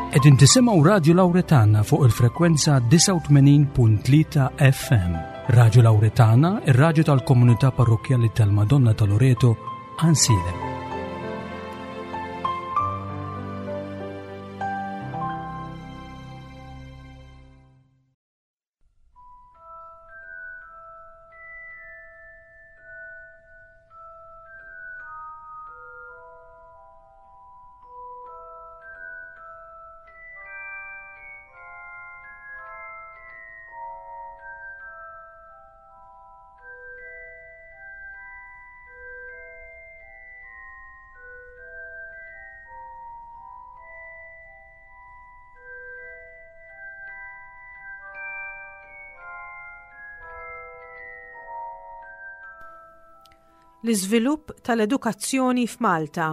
Qegħdin tisimgħu Radju Lawretana fuq il-frekwenza 89.3 FM. Radju Lawretana, ir-radju tal-komunità parrokkjali tal-Madonna ta' Loreto, Ansilem. L-iżvilupp tal-edukazzjoni f'Malta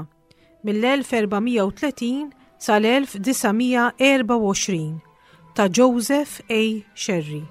mill-1430 sal-1924 ta' Joseph A. Scerri.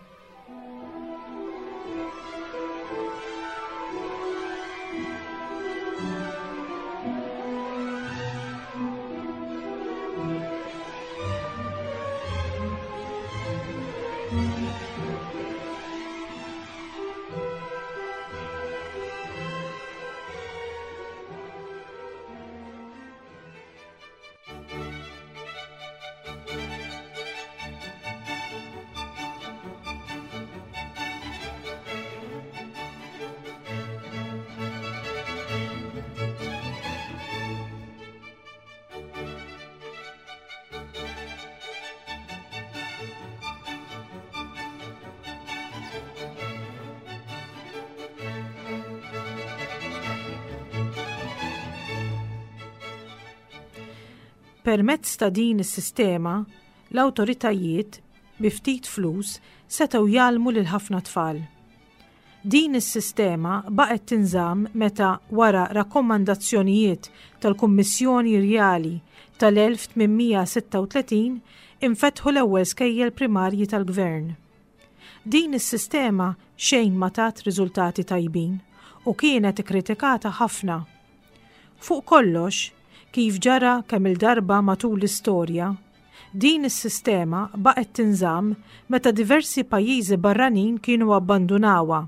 Permezz ta' din is-sistema, l-awtoritajiet, bi ftit flus, setgħu jgħallmu lil ħafna tfal. Din is-sistema baqgħet tinżamm meta, wara rakkomandazzjonijiet tal-Kummissjoni Rjali tal-1836, infetħu l-ewwel skejjel primarji tal-gvern. Din is-sistema xejn ma tat riżultati tajbin u kienet ikkritikata ħafna. Fuq kollox, kif ġara kemm-il darba matul l-istorja, din is-sistema baqgħet tinżamm meta diversi pajjiżi barranin kienu abbandunawha.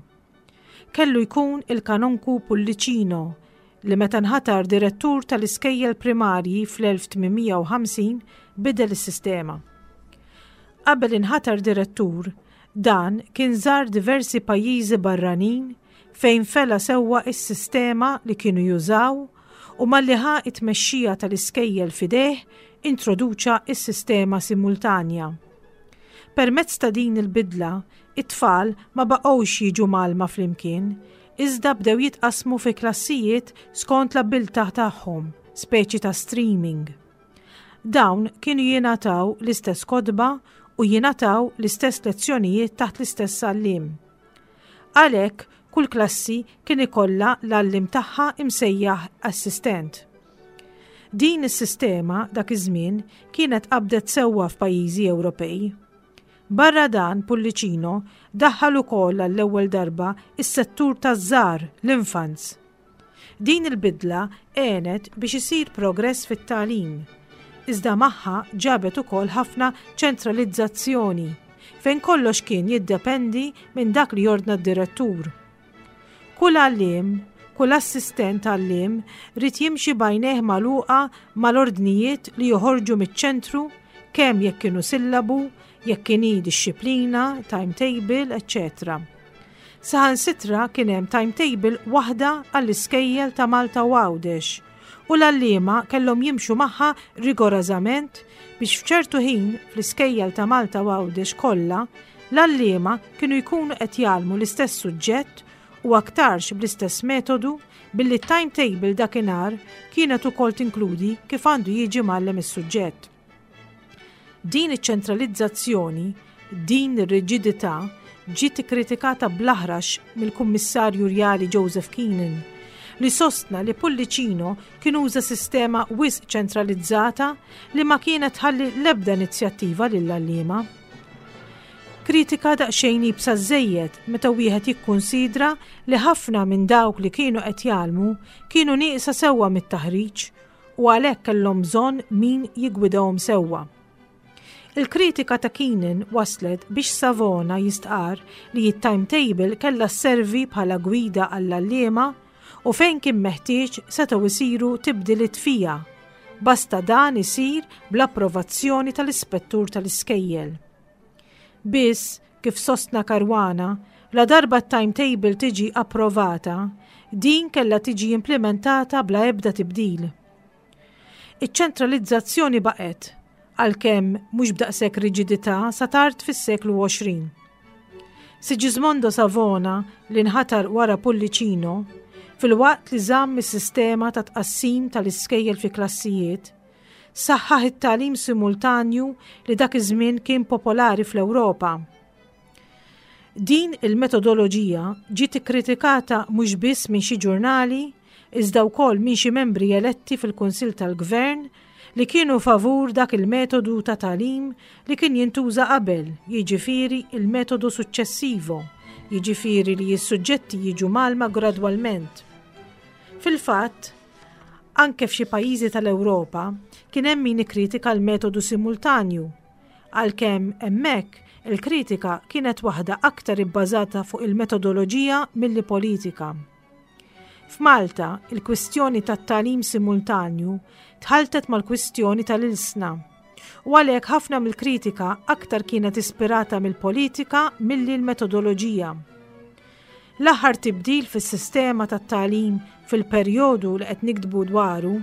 Kellu jkun il-Kanonku Pullicino li meta nħatar direttur tal-iskejjel primarji fl-1850 bidel is-sistema. Qabel inħatar direttur, dan kien żar diversi pajjiżi barranin fejn fela sewwa s-sistema li kienu jużaw u malli ħa t-tmexxija tal-iskejjel f'idejh introduċa s-sistema simultanja. Permezz ta' din il-bidla, it-tfal ma baqgħux jiġu mgħallma flimkien, iżda bdew jitqassmu fi klassijiet skont l-abbiltà tagħhom, speċi ta' streaming. Dawn kienu jingħataw l-istess kotba u jingħataw l-istess lezzjonijiet taħt l-istess għalliem. Għalhekk, kull klassi kien ikollha l-għalliem tagħha imsejjaħ assistent. Din is-sistema dak iż-żmien kienet qabdet sewwa f'pajjiżi Ewropej. Barra dan, Pullicino daħħal ukoll għall-ewwel darba s-settur taż-żgħar, l-infants. Din il-bidla għenet biex isir progress fit-tagħlim, iżda magħha ġabet ukoll ħafna ċentralizzazzjoni, fejn kollox kien jiddependi minn dak li jordna d-direttur. Kull għalliem, kull assistent għalliem ried jimxi b'għajnejh magħluqa mal-ordnijiet li joħorġu miċ-ċentru kemm jekk kienu sillabu, jekk inhi dixxiplina, timetable, eċċetera. Saħansitra kien hemm timetable waħda għall-iskejjel ta' Malta u Għawdex u l-għalliema kellhom jimxu magħha rigorażament biex f'ċertu ħin fl-iskejjel ta' Malta u Għawdex kollha l-għalliema kienu jkunu qed jgħallmu l-istess suġġett u aktarx bl-istess metodu billi t-timetable dakinhar kienet ukoll tinkludi kif għandu jiġi mgħallem is-suġġett. Din iċ-ċentralizzazzjoni, din ir-riġidità ġiet ikkritikata bl-aħrax mill-Kummissarju Rjali Joseph Keenan, li sostna li Pullicino kien uża sistema wisq ċentralizzata li ma kienet tħalli l-ebda inizjattiva lill-għalliema. Kritika daqsxejn iebsa żżejjed meta wieħed jikkunsidra li ħafna minn dawk li kienu qed jgħallmu kienu nieqsa sewwa mit-taħriġ u għalhekk kellhom bżonn min jiggwidahom sewwa. Il-kritika ta' Keenan waslet biex Savona jistqarr li t-timetable kellha sservi bħala gwida għall-għalliema u fejn kien meħtieġ setgħu jsiru tibdiliet fiha, basta dan isir bl-approvazzjoni tal-ispettur tal-iskejjel. Biss, kif sostna Caruana, ladarba t-timetable tiġi approvata, din kellha tiġi implimentata bla ebda tibdil. Iċ-ċentralizzazzjoni baqgħet, għalkemm mhux b'daqshekk riġidità sa tard fis-seklu 20. Sigismondo Savona li nħatar wara Pullicino, filwaqt li żamm is-sistema ta' tqassim tal-iskejjel fi klassijiet, saħħaħ it-tagħlim simultanju li dak iż-żmien kien popolari fl-Ewropa. Din il-metodoloġija ġiet ikkritikata mhux biss minn xi ġurnali, iżda wkoll minn xi membri eletti fil-Kunsill tal-Gvern li kienu favur dak il-metodu ta' tagħlim li kien jintuża qabel, jiġifieri il-metodu successivo, jiġifieri li s-suġġetti jiġu mgħallma gradwalment. Fil-fatt, anke f'xi pajjiżi tal-Ewropa kien hemm min ikkritika l-metodu simultanju, Għalkemm hemmhekk il-kritika kienet waħda aktar ibbażata fuq il-metodoloġija milli politika. F'Malta, il-kwistjoni tat-tagħlim simultanju tħalltet mal-kwistjoni tal-ilsna u għalhekk ħafna mill-kritika aktar kienet ispirata mill-politika milli l-metodoloġija. L-aħħar tibdil fis-sistema tat-tagħlim fil-perjodu li qed niktbu dwaru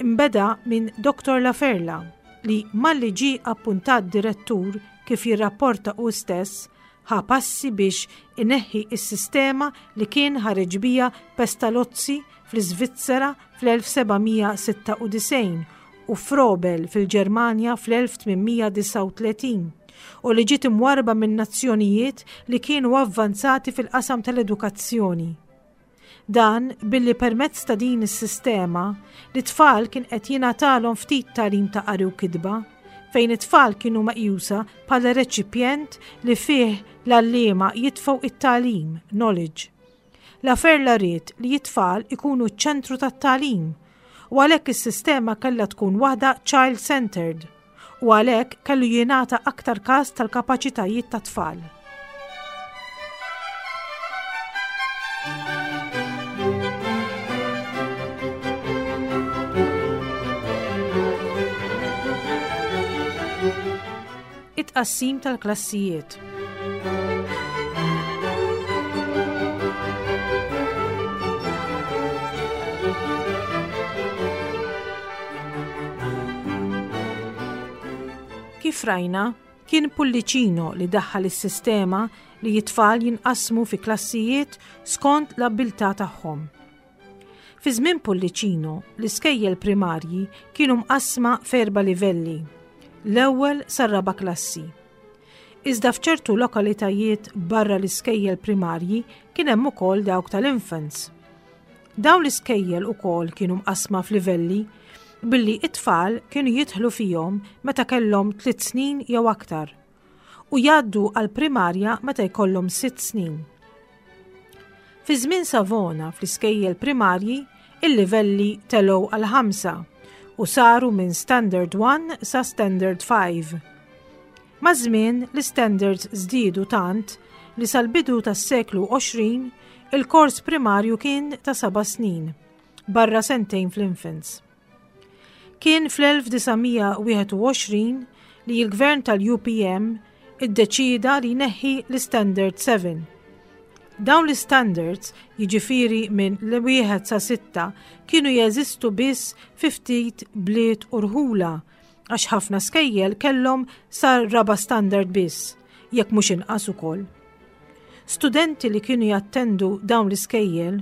nbeda minn Dottor Laferla li malli ġie appuntat direttur kif jirrapporta hu stess ħa passi biex ineħħi s-sistema li kien ħareġ biha Pestalozzi fl-Iżvizzera fl-1796 u Froebel fil-Ġermanja fl-1839 u li ġiet imwarrba minn nazzjonijiet li kienu avvanzati fil-qasam tal-edukazzjoni. Dan billi permezz ta' din is-sistema, l-itfal kien qed jingħatalhom ftit tagħlim ta' qari u kitba, fejn it-tfal kienu meqjusa bħala reċipjent li fih l-għalliema jitfgħu it-tagħlim, knowledge. Laferla ried li t-tfal ikunu ċ-ċentru tat-tagħlim u għalhekk is-sistema kellha tkun waħda child-centered. u għalhekk kellu jingħata aktar każ tal-kapaċitajiet tat-tfal. It-tqassim tal-klassijiet. Kif rajna, kien Pullicino li daħħal is-sistema li t-tfal jinqasmu fi klassijiet skont l-abbiltà tagħhom. Fi żmien Pullicino, l-iskejjel primarji kienu mqassma f'erba' livelli, l-ewwel sar-raba' klassi. Iżda f'ċertu lokalitajiet barra l-iskejjel primarji kien hemm ukoll dawk tal-infants. Dawn l-iskejjel ukoll kienu mqassma f'livelli billi it-tfal kienu jidħlu fihom meta kellhom tliet snin jew aktar u jgħaddu għall-primarja meta jkollhom sitt snin. Fi żmien Savona fl-iskejjel primarji il-livelli telgħu għal ħamsa u saru minn Standard 1 sa Standard 5. Maż-żmien l-istandards żdiedu tant li sal-bidu tas-seklu 20 il-kors primarju kien ta' seba' snin, barra sentejn fl-infants. Kien fl-1921 li l-gvern tal-UPM iddeċieda li jneħħi l-Istandard 7. Dawn l-istandards, jiġifieri minn l-wieħed sa sitta, kienu jeżistu biss fi ftit bliet u rħula għax ħafna skejjel kellhom sa raba' standard biss, jekk mhux inqas ukoll. Studenti li kienu jattendu dawn l-iskejjel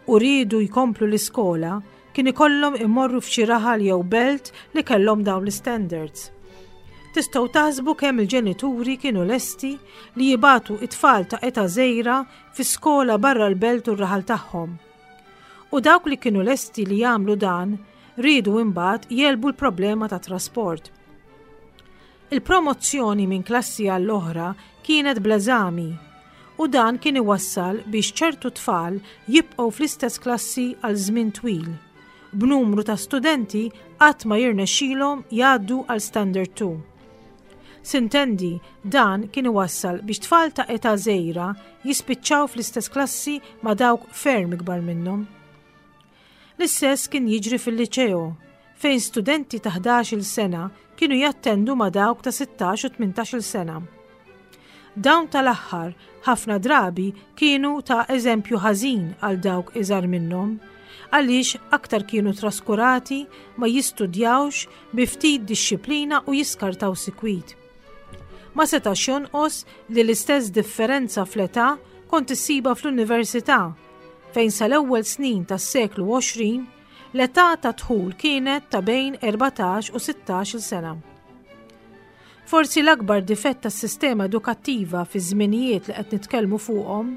u riedu jkomplu l-iskola kien ikollhom imorru f'xi raħal jew belt li kellhom dawn l-istandards. Tistgħu taħsbu kemm il-ġenituri kienu lesti li jibagħtu it-tfal ta' età żgħira fi skola barra l-belt u r-raħal tagħhom. U dawk li kienu lesti li jagħmlu dan riedu imbagħad jegħlbu l-problema ta' trasport. Il-promozzjoni minn klassi għall-oħra kienet bl-eżami u dan kien iwassal biex ċertu tfal jibqgħu fl-istess klassi għal żmien twil, b'numru ta' studenti qatt ma jirnexxilhom jgħaddu għal Standard 2. Sintendi, dan kien iwassal biex tfal ta' età żgħira jispiċċaw fl-istess klassi ma' dawk ferm ikbar minnhom. L-istess kien jiġri fil-liċeo, fejn studenti ta' 11-il sena kienu jattendu ma' dawk ta' 16 u 18-il sena. Dawn tal-aħħar ħafna drabi kienu ta' eżempju ħażin għal dawk iżgħar minnhom, għaliex aktar kienu traskurati, ma jistudjawx, bi ftit dixxiplina u jiskartaw sikwit. Ma setax jonqos li l-istess differenza fl-età kont issibha fl-università, fejn sal-ewwel snin tas-seklu 20 l-età ta' dħul kienet ta' bejn 14 u 16-il sena. Forsi l-akbar difett tas-sistema edukattiva fiż-żminijiet li qed nitkellmu fuqhom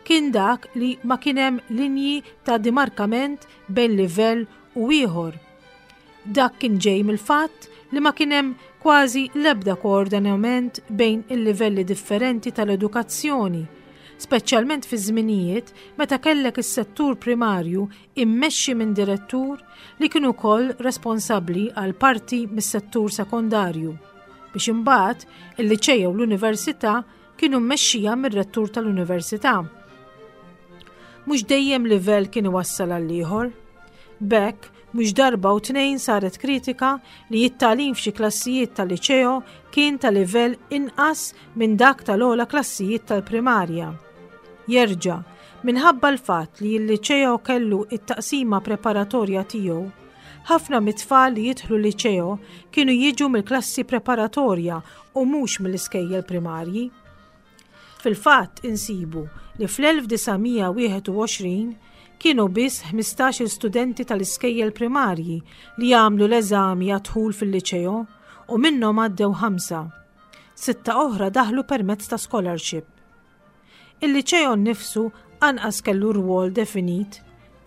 kien dak li ma kien hemm linji ta' dimarkament bejn livell u ieħor. Dak kien ġej mill-fatt li ma kien hemm kważi l-ebda koordinament bejn il-livelli differenti tal-edukazzjoni, speċjalment fi żminijiet meta kellek is-settur primarju immexxi minn direttur li kien ukoll responsabbli għal parti mis-settur sekondarju, biex imbagħad il-liċeo u l-università kienu mmexxija mir-rettur tal-università. Mhux dejjem livell kien iwassal għal ieħor. B'hekk, mhux darba u tnejn saret kritika li t-tagħlim f'xi klassijiet tal-liċeo kien ta' livell inqas minn dak tal-ogħla klassijiet tal-primarja. Jerġa', minħabba l-fatt li l-liċeo kellu t-taqsima preparatorja tiegħu, ħafna mit-tfal li jidħlu liċeo kienu jiġu mill-klassi preparatorja u mhux mill-iskejjel primarji. Fil-fatt insibu li fl-1921 kienu biss 15-il studenti tal-iskejjel primarji li għamlu l-eżami għad-dħul fil-liċeo u minnhom għaddew ħamsa. Sitta oħra daħlu permezz ta' scholarship. Il-Liċeo nnifsu anqas kellu rwol definit,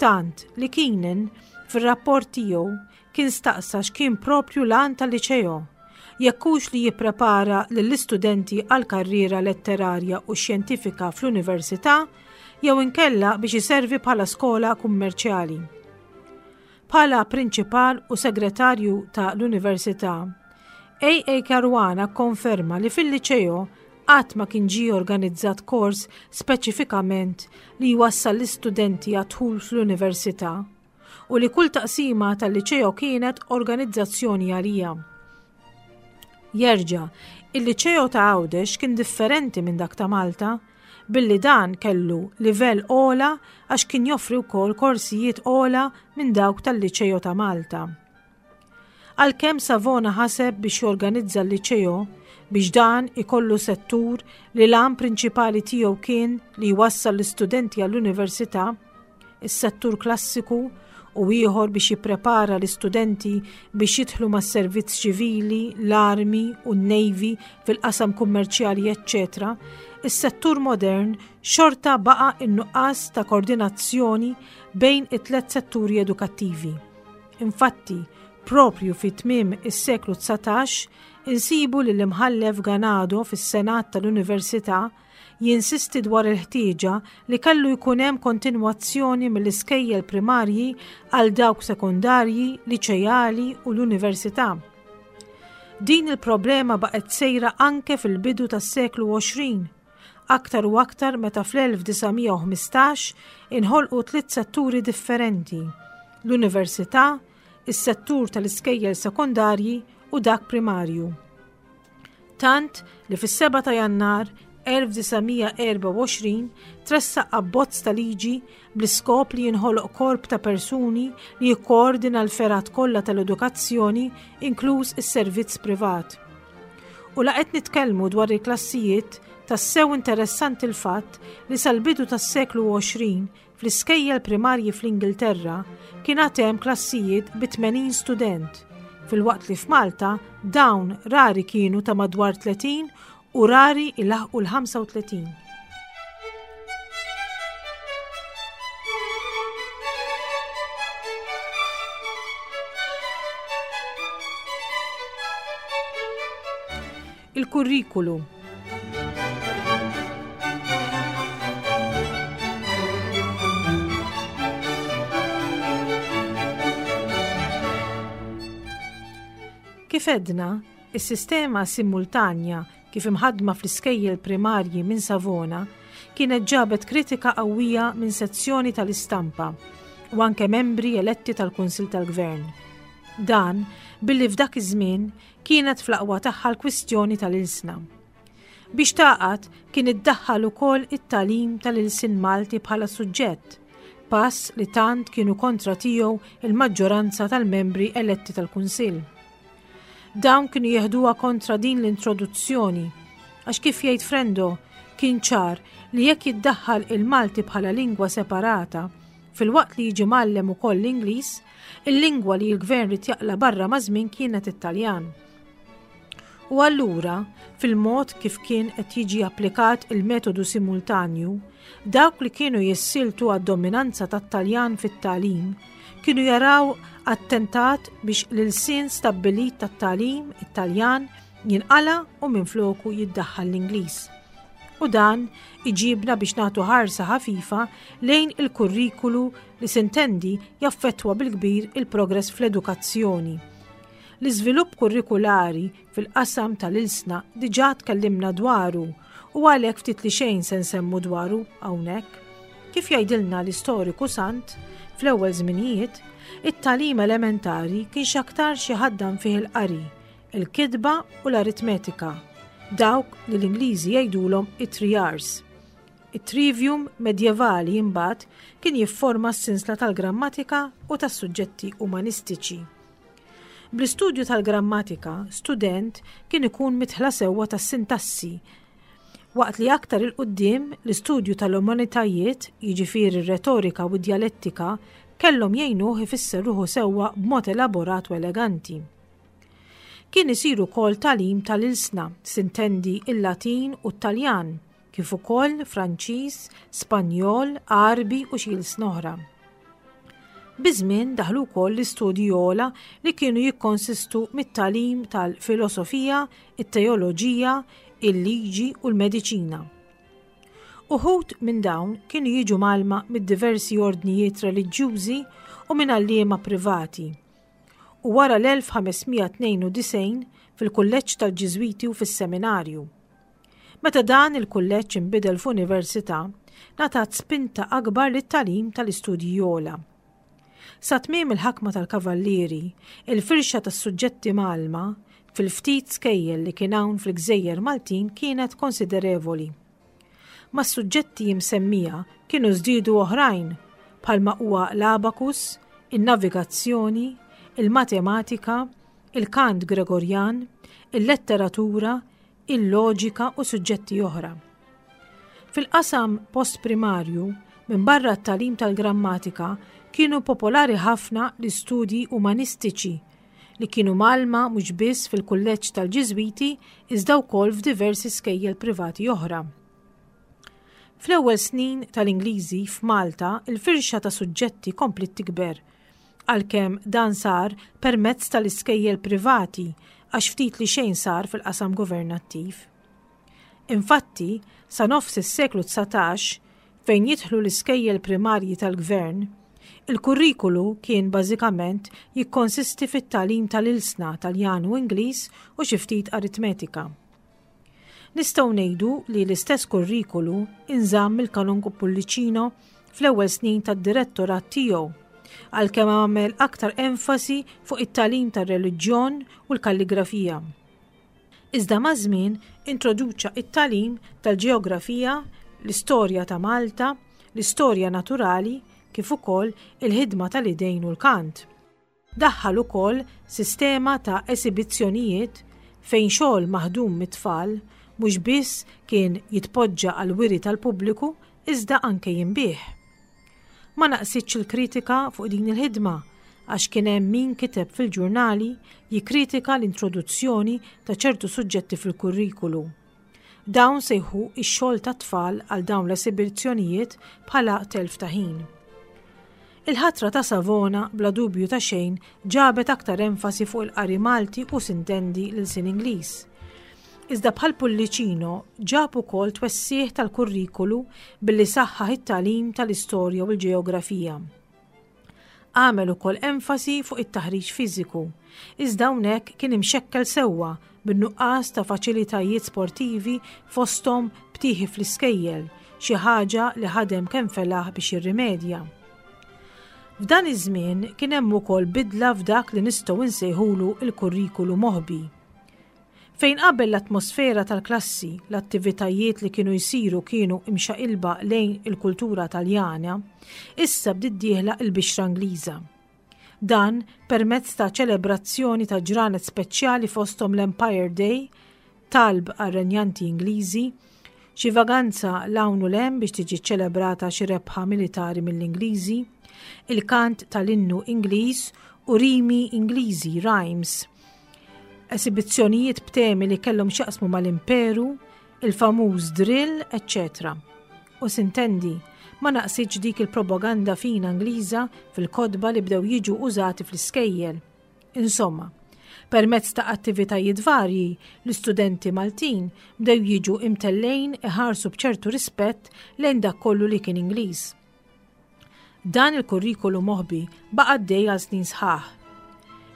tant li Keenan, fir-rapport tiegħu, kien staqsa x'kien proprju l-għan tal-Liċeo, jekk hux li jipprepara lill-istudenti għal karriera letterarja u xjentifika fl-università jew inkella biex iservi bħala skola kummerċjali. Bħala Prinċipal u Segretarju ta' l-Università, A. A. Caruana kkonferma li fil-Liċeo qatt ma kien ġie organizzat kors speċifikament li jwassal l-istudenti għad-dħul fl-università u li kull taqsima tal-Liċeo kienet organizzazzjoni għalija. Jerġa', il-Liċeo ta' Għawdex kien differenti minn dak ta' Malta billi dan kellu livell ogħla għax kien joffri wkoll korsijiet ogħla minn dawk tal-Liċeo ta' Malta. Għalkemm Savona ħaseb biex jorganizza l-Liċeo biex dan ikollu settur li l-għan prinċipali tiegħu kien li jwassal l-istudenti għall-università, is-settur klassiku u ieħor biex jipprepara l-istudenti biex jidħlu mas-servizz ċivili, l-armi u n-navy fil-qasam kummerċjali eċċetera, is-settur modern xorta baqa' in-nuqqas ta' koordinazzjoni bejn it-tliet setturi edukattivi. Infatti, proprju fi tmiem is-seklu 19 insibu li l-Imħallef Ganado fis-Senat tal-Università jinsisti dwar il-ħtieġa li kellu jkun hemm kontinwazzjoni mill-iskejjel primarji għal dawk sekondarji, liċejali u l-università. Din il-problema baqgħet sejra anke fil-bidu tas-seklu 20, aktar u aktar meta fl-1915 inħolqu tliet setturi differenti, l-università, is-settur tal-iskejjel sekondarji u dak primarju. Tant li fis-7 ta' Jannar 1924 tressaq abbozz ta' liġi bl-iskop li jinħoloq korp ta' persuni li jikkoordina l-fergħat kollha tal-edukazzjoni inkluż is-servizz privat. U la qed nitkellmu dwar il-klassijiet, tassew interessanti l-fatt li sal-bidu tas-seklu 20 Fl-iskejjel primarji fl-Ingilterra kien għad hemm klassijiet bi 80 student, filwaqt li f'Malta dawn rari kienu ta' madwar 30 u rari ilaħqu l-35. Il-kurrikulu. Kif għedna, Is-sistema simultanja kif imħaddma fl-iskejjel primarji minn Savona kienet ġabet kritika qawwija minn sezzjoni tal-istampa u anke membri eletti tal-Kunsill tal-Gvern. Dan billi f'dak iż-żmien kienet fl-aqwa tagħha l-kwistjoni tal-ilsna. Biex tagħqad kien iddaħħal ukoll it-tagħlim tal-ilsien Malti bħala suġġett, pass li tant kienu kontra tiegħu il-maġġoranza tal-membri eletti tal-Kunsill. Dawn kienu jeħduha kontra din l-introduzzjoni għax kif jgħid Frendo kien ċar li jekk jiddaħħal il-Malti bħala lingwa separata, filwaqt li jiġi mgħallem ukoll l-Ingliż, il-lingwa li l-gvern ried jaqla' barra maż-żmien kienet it-Taljan. U allura, fil-mod kif kien qed jiġi applikat il-metodu simultanju, dawk li kienu jissieltu għad-dominanza tat-Taljan fit-tagħlim kienu jaraw attentat biex l-ilsien stabbilit tat-tagħlim, it-Taljan, jinqala' u minfloku jiddaħħal l-Ingliż. U dan iġibna biex nagħtu ħarsa ħafifa lejn il-kurrikulu li sintendi jaffettwa bil-kbir il-progress fl-edukazzjoni. L-iżvilupp kurrikulari fil-qasam tal-ilsna diġà tkellimna dwaru u għalhekk ftit li xejn se nsemmu dwaru hawnhekk. Kif jgħidilna l-istoriku Sant, fl-ewwel żminijiet, it-tagħlim elementari kien x'aktarx iħaddan fih il-qari, il-kitba u l-aritmetika, dawk li l-Ingliżi jgħidulhom it-three R's. It-trivium medjevali imbagħad kien jifforma s-sinsla tal-grammatika u tas-suġġetti umanistiċi. Bl-istudju tal-grammatika, student kien ikun midħla sewwa tas-sintassi, waqt li aktar 'il quddiem l-istudju tal-umanitajiet, jiġifieri r-retorika u d-djalettika, kellhom jgħinuh ifisser ruħu sewwa b'mod elaborat u eleganti. Kien isir ukoll tagħlim tal-ilsna, sintendi il-Latin u t-Taljan, kif ukoll Franċiż, Spanjol, Għarbi u xi ilsna oħra. Biż-żmien daħlu wkoll l-istudji ogħla li kienu jikkonsistu mit-tagħlim tal-filosofija, it-teoloġija, il-liġi u l-mediċina. Uħud minn dawn kienu jiġu mgħallma mid-diversi ordnijiet reliġjużi u minn għalliema privati. U wara l-1592 fil-kulleġġ tal-Ġiżwiti u fis-seminarju. Meta dan il-kulleġġ inbidel f'università, ngħatat spinta akbar lit-tagħlim tal-istudji ogħla. Sa tmiem il-ħakma tal-Kavallieri, il-firxa tas-suġġetti mgħallma fil-ftit skejjel li kien hawn fil-gżejjer Maltin kienet konsiderevoli. Mas-suġġetti imsemmija kienu żdiedu oħrajn bħalma huwa l-abakus, in-navigazzjoni, il-matematika, il-kant Gregorjan, il-letteratura, il-loġika u suġġetti oħra. Fil-qasam postprimarju, minbarra t-tagħlim tal-grammatika, kienu popolari ħafna l-istudji umanistiċi li kienu mgħallma mhux biss fil-kulleġġ tal-Ġiżwiti iżda wkoll f'diversi skejjel privati oħra. Fl-ewwel snin tal-Ingliżi f'Malta, il-firxa ta' suġġetti kompliet tikber għalkemm dan sar permezz tal-iskejjel privati għax ftit li xejn sar fil-qasam governattiv. Infatti, sa nofs is-seklu 19, fejn jidħlu l-iskejjel primarji tal-gvern, il-kurrikulu kien bażikament jikkonsisti fit-tagħlim tal-ilsna Taljan u Ingliż u xi ftit aritmetika. Nistgħu ngħidu li l-istess kurrikulu inżamm mill-Kanonku Pullicino fl-ewwel snin tad-direttorat tiegħu, għalkemm għamel aktar enfasi fuq it-tagħlim tar-reliġjon u l-kalligrafija. Iżda maż-żmien introduċa t-tagħlim tal-ġeografija, l-istorja ta' Malta, l-istorja naturali kif ukoll il-ħidma tal-idejn u l-kant. Daħħal ukoll sistema ta' esibizzjonijiet fejn xogħol maħdum mit-tfal mhux biss kien jitpoġġa għall-wiri tal-pubbliku iżda anke jinbiegħ. Ma naqsitx il-kritika fuq din il-ħidma għax kien hemm min kiteb fil-ġurnali jikkritika l-introduzzjoni ta' ċertu suġġetti fil-kurrikulu. Dawn sejħu x-xogħol tat-tfal għal dawn l-esibizzjonijiet bħala telf ta' ħin. Il-ħatra ta' Savona bla dubju ta' xejn ġabet aktar enfasi fuq il-qari Malti u sintendi l-ilsien Ingliż. Iżda bħal Pullicino ġab ukoll twessiegħ tal-kurrikulu billi saħħaħ it-tagħlim tal-istorja u l-ġeografija. Għamel ukoll enfasi fuq it-taħriġ fiżiku, iżda hawnhekk kien imxekkel sewwa bin-nuqqas ta' faċilitajiet sportivi fosthom btieħi fl-iskejjel, xi ħaġa li ħadem kemm felaħ biex jirrimedja. F'dan iż-żmien kien hemm ukoll bidla f'dak li nistgħu nsejħulu l-kurrikulu moħbi. Fejn qabel l-atmosfera tal-klassi, l-attivitajiet li kienu jsiru kienu imxaqilba lejn il-kultura Taljana, issa bdiet dieħla l-bixra Ingliża. Dan permezz ta' ċelebrazzjoni ta' ġranet speċjali fosthom l-Empire Day, talb għar-renjanti Ingliżi, xi vaganza 'l hawn u 'l hemm biex tiġi ċċelebrata xi rebħa militari mill-Ingliżi, il-kant tal-innu Ingliż u rimi Ingliżi, rhymes, esibizzjonijiet b'temi li kellhom x'jaqsmu mal-imperu, il-famuż drill, eċċetera. U sintendi, ma naqsitx dik il-propaganda fina Ingliża fil-kotba li bdew jiġu użati fl-iskejjel. Insomma, permezz ta' attivitajiet varji, l-istudenti Maltin bdew jiġu imtellgħin iħarsu b'ċertu rispett lejn dak kollu li kien Ingliż. Dan il-kurrikulu moħbi baqa' għaddej għal snin sħaħ.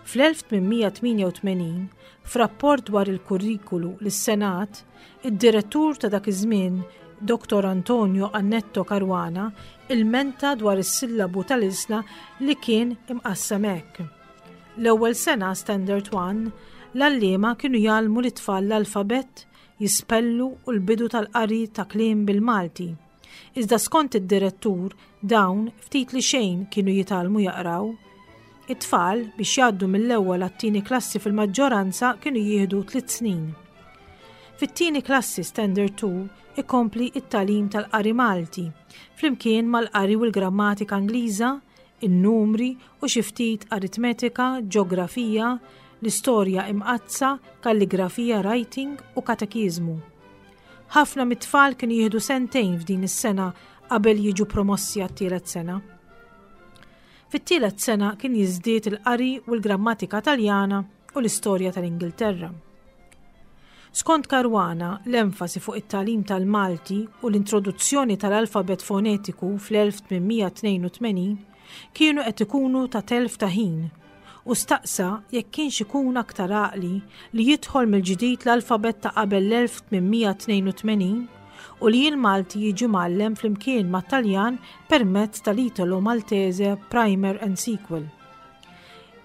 Fl-1888, f'rapport dwar il-kurrikulu lis-Senat, id-direttur ta' dak iż-żmien, Dottor Antonio Annetto Caruana, ilmenta dwar is-sillabu tal-ilsna li kien imqassam hekk. L-ewwel sena, Standard One, l-għalliema kienu jgħallmu lit-tfal l-alfabett, jispellu u l-bidu tal-qari ta' kliem bil-Malti. Iżda skont id-direttur, dawn ftit li xejn kienu jitgħallmu jaqraw. It-tfal, biex jgħaddu mill-ewwel għat-tieni klassi fil-maġġoranza kienu jieħdu tliet snin. Fit-tieni klassi Standard 2 ikompli it-tagħlim tal-qari Malti, flimkien mal-qari u l-grammatika Ingliża, in-numri u xi ftit aritmetika, ġografija, l-istorja imqaddsa, kalligrafija writing u katekiżmu. Ħafna mit-tfal kienu jieħdu sentejn f'din is-sena qabel jiġu promossi għat-tielet sena. Fit-tielet sena kien jiżdied il-qari u l-grammatika Taljana u l-istorja tal-Ingilterra. Skont Caruana, l-enfasi fuq it-tagħlim tal-Malti u l-introduzzjoni tal-alfabet fonetiku fl-1882 kienu qed ikunu ta' telf ta' ħin u staqsa jekk kienx ikun aktar għaqli li jidħol mill-ġdid l-alfabet ta' qabel l-1882 u li l-Malti jiġi mgħallem flimkien mat-Taljan permezz tal-Italo Maltese Primer and Sequel.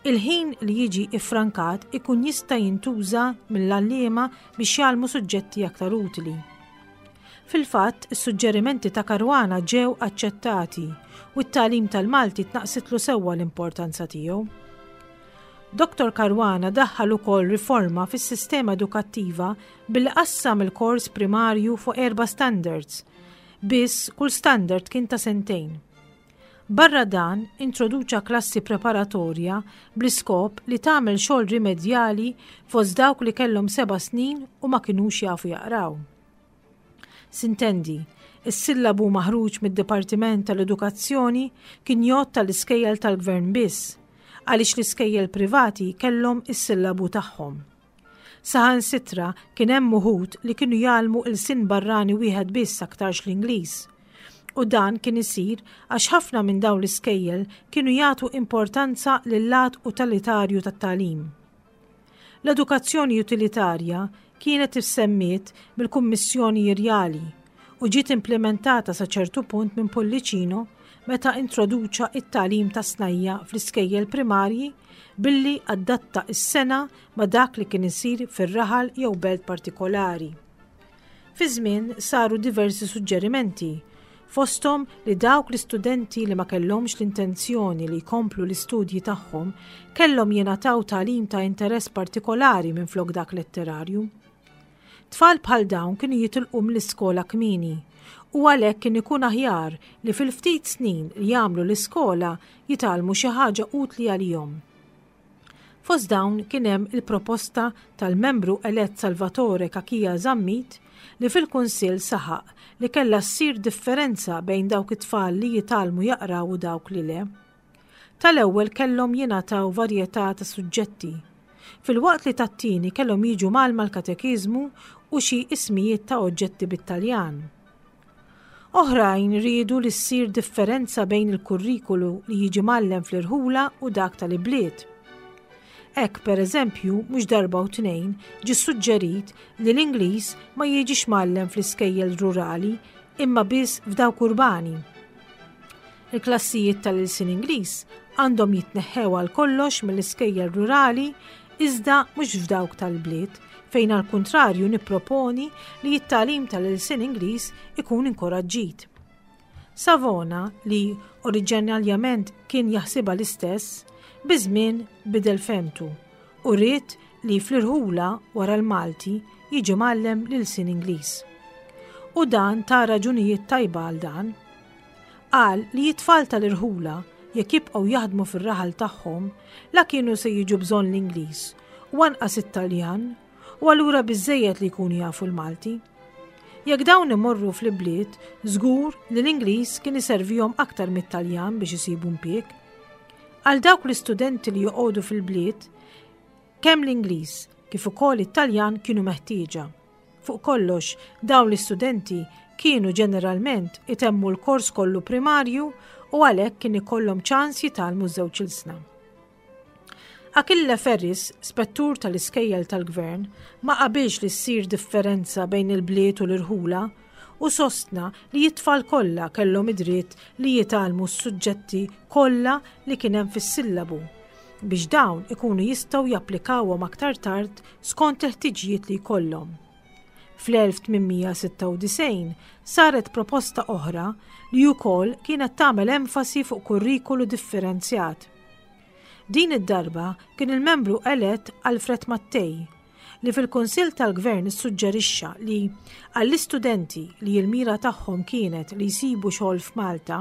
Il-ħin li jiġi iffrankat ikun jista' jintuża mill-għalliema biex jgħallmu suġġetti aktar utli. Fil-fatt, is-suġġerimenti ta' Caruana ġew aċċettati u t-tagħlim tal-Malti tnaqqsitlu sewwa l-importanza tiegħu. Dottor Caruana daħħal ukoll riforma fis-sistema edukattiva billi qassam il-kors primarju fuq erba' standards, biss kull standard kien ta' sentejn. Barra dan, introduċa klassi preparatorja bl-iskop li tagħmel xogħol rimedjali fost dawk li kellhom seba' snin u ma kinux jafu jaqraw. Sintendi, is-sillabu maħruġ mid-Dipartiment tal-Edukazzjoni kien jgħodd tal-iskejjel tal-Gvern biss, għaliex l-iskejjel privati kellhom is-sillabu tagħhom. Saħansitra kien hemm uħud li kienu jgħallmu ilsien barrani wieħed biss aktarx l-Ingliż. U dan kien isir għax ħafna minn dawn l-iskejjel kienu jagħtu importanza lil-lat utilitarju tat-tagħlim. L-edukazzjoni utilitarja kienet issemmiet mill-Kummissjoni Rjali u ġiet implimentata sa ċertu punt minn Pullicino meta introduċa it-tagħlim tas-snajja' fl-iskejjel primarji billi adatta s-sengħa ma' dak li kien isir fir-raħal jew belt partikolari. Fiż-żmien saru diversi suġġerimenti, fosthom li dawk l-istudenti li ma kellhomx l-intenzjoni li jkomplu l-istudji tagħhom kellhom jingħataw tagħlim ta' interess partikolari minflok dak letterarju. Tfal bħal dawn kienu jitilqu mill-iskola kmieni u għalhekk kien ikun aħjar li fil-ftit snin li jagħmlu l-iskola jitgħallmu xi ħaġa utli għalihom. Fost dawn kien hemm il-proposta tal-membru elett Salvatore Cachia Zammit li fil-Kunsill saħaq li kellha ssir differenza bejn dawk it-tfal li jitgħallmu jaqraw u dawk li le. Tal-ewwel kellhom jingħataw varjetà ta' suġġetti, filwaqt li tat-tieni kellhom jiġu mgħallma l-katekiżmu u xi ismijiet ta' oġġetti bit-Taljan. Oħrajn riedu li ssir differenza bejn il-kurrikulu li jiġi mgħallem fl-irħula u dak tal-ibliet. Hekk, per eżempju, mhux darba u tnejn ġie ssuġġerit li l-Ingliż ma jiġix mgħallem fl-iskejjel rurali imma biss f'dawk urbani. Il-klassijiet tal-ilsien Ingliż għandhom jitneħħew għal kollox mill-iskejjel rurali iżda mhux f'dawk tal-bliet fejn għall-kuntrarju nipproponi li t-tagħlim tal-ilsien Ingliż ikun inkoraġġit. Savona, li oriġinaljament kien jaħsibha l-istess, biż-żmien bidel fehmtu u ried li fl-irħula wara l-Malti jiġi mgħallem l-ilsien Ingliż. U dan ta raġunijiet tajba għal dan. Qal li t-tfal tal-irħula jekk jibqgħu jaħdmu fir-raħal tagħhom la kienu se jiġu bżonn l-Ingliż u anqas it-Taljan u allura biżżejjed li jkunu jafu l-Malti. Jekk dawn imorru fl-ibliet, żgur li l-Ingliż kien iservihom aktar mit-Taljan biex isibu impjieg. Għal dawk l-istudenti li joqogħdu fil-bliet, kemm l-Ingliż kif ukoll it-Taljan kienu meħtieġa. Fuq kollox, dawn l-istudenti kienu ġeneralment itemmu l-kors kollu primarju u għalhekk kien ikollhom ċans jitgħallmu ż-żewġ ilsna. Achille Ferris, spettur tal-iskejjel tal-gvern, ma qabilx li ssir differenza bejn il-bliet u l-irħula u sostna li t-tfal kollha kellhom id-dritt li jitgħallmu s-suġġetti kollha li kien hemm fis-sillabu biex dawn ikunu jistgħu japplikawhom aktar tard skont il-ħtiġijiet li jkollhom. Fl-1896 saret proposta oħra li wkoll kienet tagħmel enfasi fuq kurrikulu differenzjat. Din id-darba kien il-membru elett Alfred Mattei li fil-Kunsill tal-Gvern issuġġerixxa li għall-istudenti li l-mira tagħhom kienet li jsibu xogħol f'Malta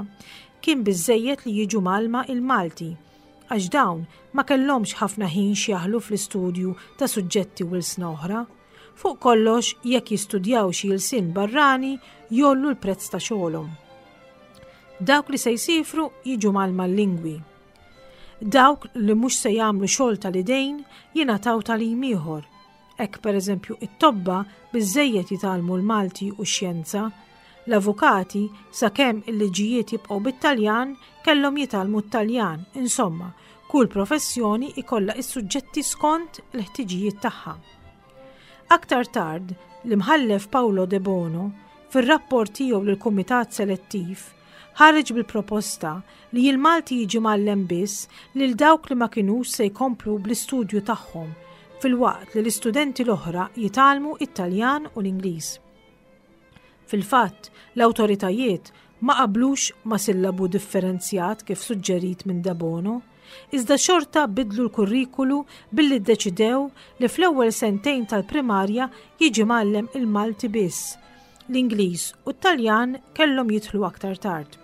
kien biżżejjed li jiġu mgħallma il-Malti għax dawn ma kellhomx ħafna ħin x'jaħlu fl-istudju ta' suġġetti u lsna oħra. Fuq kollox jekk jistudjaw xi ilsien barrani jgħollu l-prezz ta' xogħolhom. Dawk li se jsifru jiġu mgħallma l-lingwi. Dawk li mhux se jagħmlu xogħol tal-idejn jingħataw tagħlim ieħor. Hekk pereżempju it-tobba biżżejjed jitgħallmu l-Malti u x-xjenza, l-avukati sakemm il-liġijiet jibqgħu bit-Taljan kellhom jitgħallmu t-Taljan, insomma, kull professjoni ikollha is-suġġetti skont il-ħtiġijiet tagħha. Aktar tard, l-Imħallef Paolo Debono, fir-rapport tiegħu lill-Kumitat Selettiv, ħareġ bil-proposta li l-Malti jiġi mgħallem biss lil dawk li ma kinux se jkomplu bl-istudju tagħhom, filwaqt li l-istudenti l-oħra jitgħallmu it-Taljan u l-Ingliż. Fil-fatt, l-awtoritajiet ma qablux ma' sillabu differenzjat kif suġġerit minn Debono, iżda xorta bidlu l-kurrikulu billi ddeċidew li fl-ewwel sentejn tal-primarja jiġi mgħallem il-Malti biss, l-Ingliż u t-Taljan kellhom jidħlu aktar tard.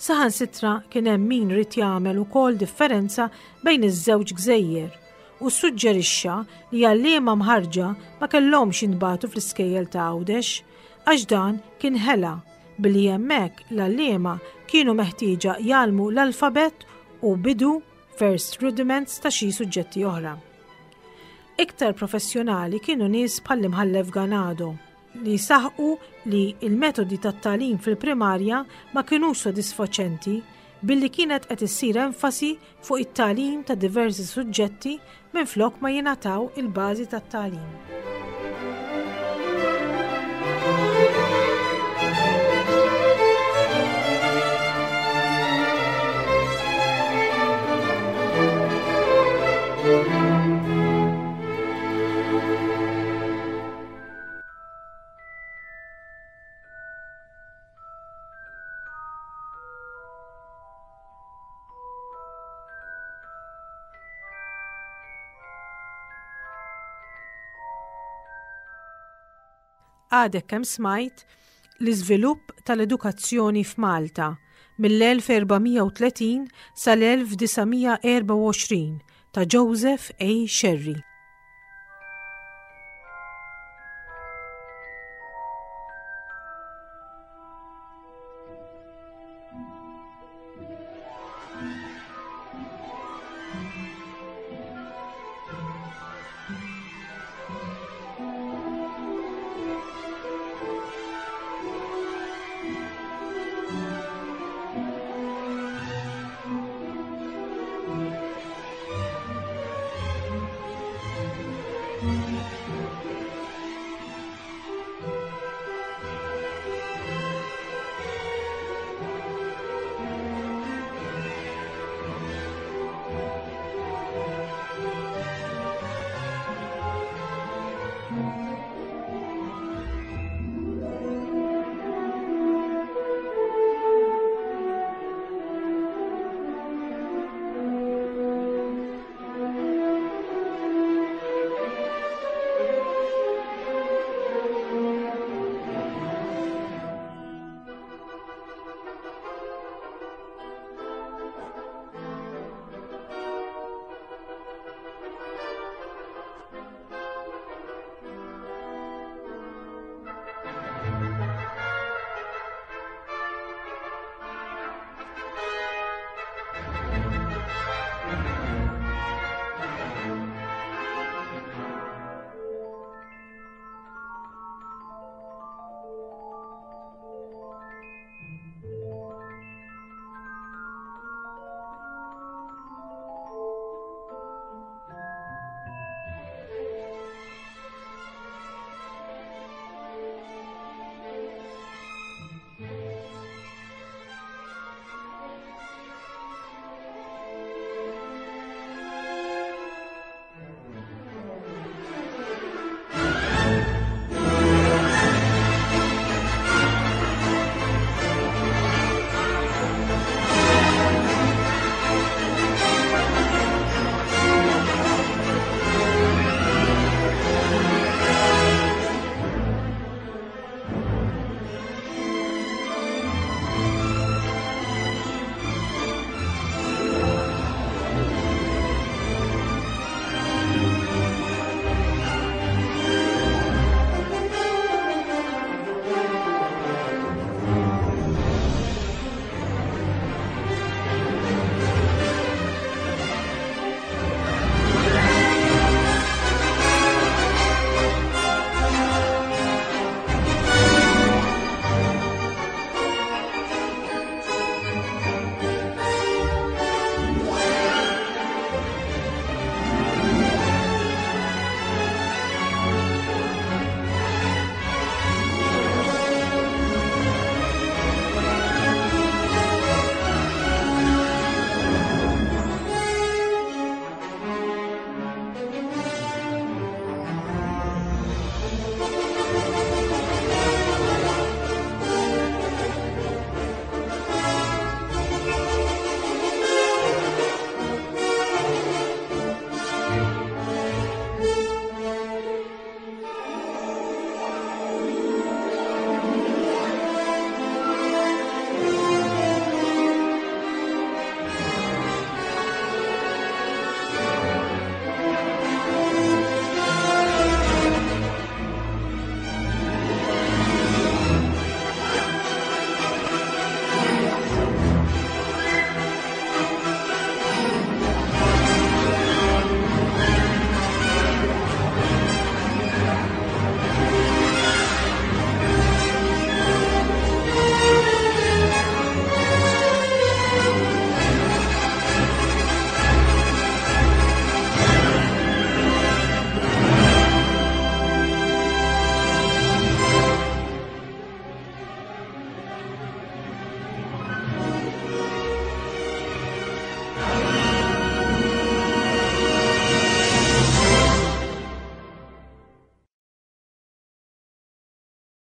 Saħansitra kien hemm min ried jagħmel ukoll differenza bejn iż-żewġ gżejjer u ssuġġerixxa li għalliema mħarrġa ma kellhomx jintbagħtu fl-iskejjel ta' Għawdex għax dan kien ħela billi hemmhekk l-għalliema kienu meħtieġa jgħallmu l-alfabett u bidu first rudiments ta' xi suġġetti oħra. Iktar professjonali kienu nies bħall-Imħallef Ganado li saħqu li l-metodi tat-tagħlim fil-primarja ma kinux sodisfaċenti billi kienet qed issir enfasi fuq it-tagħlim ta' diversi suġġetti minflok ma jingħataw il-bażi tat-tagħlim. Għadek kemm smajt l-iżvilupp tal-edukazzjoni f'Malta mill-1430 sal-1924 ta' Joseph A. Scerri.